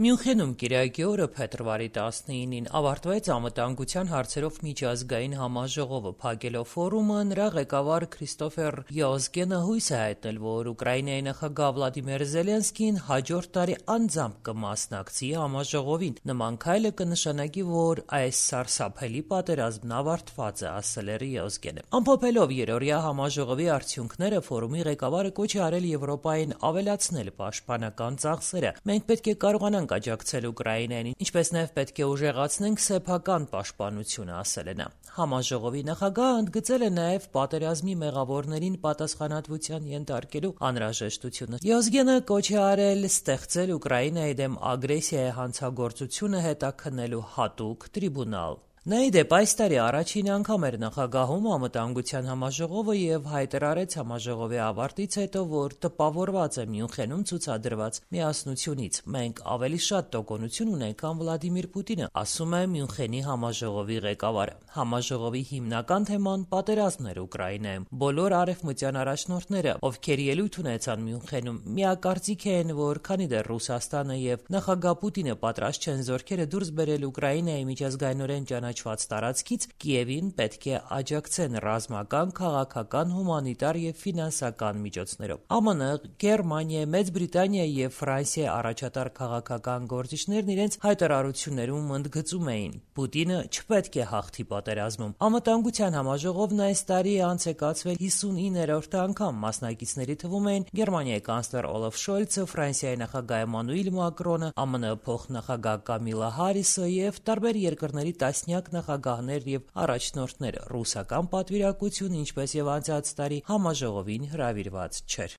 Մյունխենում կիրակի օրը փետրվարի 19-ին ավարտվեց անվտանգության հարցերով միջազգային համաժողովը։ Փակելով ֆորումը, նրա ղեկավար Քրիստոֆեր Յոզգենը հույս է հայտնել, որ Ուկրաինայի նախագահ Վլադիմիր Զելենսկին հաջորդ տարի անձամբ կմասնակցի համաժողովին։ Նման քայլը կնշանակի, որ այս սարսափելի պատերազմն ավարտված է, ասել է Յոզգենը։ Ամփոփելով երրորդյա համաժողովի արդյունքները, ֆորումի ղեկավարը կոչ է արել Եվրոպային ավելացնել պաշտպանական ծախսերը։ Մենք պետք է կարողանանք աջակցել Ուկրաինային, ինչպես նաև պետք է ուժեղացնենք սեփական պաշտպանությունը, ասել է նա։ Համաժողովի նախագահը ընդգծել է նաև պատերազմի մեղավորներին պատասխանատվության ենթարկելու անհրաժեշտությունը։ Յոզգենը կոչ է արել ստեղծել Ուկրաինայի դեմ ագրեսիայի հանցագործությունը հետաքննելու հատուկ տրիբունալ։ Նա ի դեպ այս տարի առաջին անգամ էր նախագահում անվտանգության համաժողովը եւ հայտարարեց համաժողովի ավարտից հետո, որ տպավորված է Մյունխենում ցուցադրված միասնությունից։ Մենք ավելի շատ տոկունություն ունենք, քան Վլադիմիր Պուտինը, ասում է Մյունխենի համաժողովի ղեկավարը։ Համաժողովի հիմնական թեման պատերազմն էր Ուկրաինայում։ Բոլոր արևմտյան առաջնորդները, ովքեր ելույթ ունեցան Մյունխենում, միակարծիք են, որ քանի դեռ Ռուսաստանը եւ նախագահ Պուտինը պատրաստ չեն զորքերը դուրս բերել Ուկրաինայի միջազգայինորեն ճանաչված տարածքից, Կիևին պետք է աջակցեն ռազմական, քաղաքական, հումանիտար եւ ֆինանսական միջոցներով։ ԱՄՆ, Գերմանիա, Մեծ Բրիտանիա եւ Ֆրանսիա առաջատար քաղաքական գործիչներն իրենց հայտարարություններում ընդգծում էին. Պուտինը չպետք է հաղթի պատերազմում։ Անվտանգության համաժողովն այս տարի անց է կացվել 59-րդ անգամ։ Մասնակիցների թվում էին Գերմանիայի կանցլեր Օլաֆ Շոլցը, Ֆրանսիայի նախագահ Էմանուել Մակրոնը, ԱՄՆ փոխնախագահ Կամիլա Հարիսը եւ տարբեր երկրների տասնյակ նախագահներ եւ առաջնորդներ։ Ռուսական պատվիրակությունը, ինչպես եւ անցած տարի, համաժողովին հրավիրված չէր։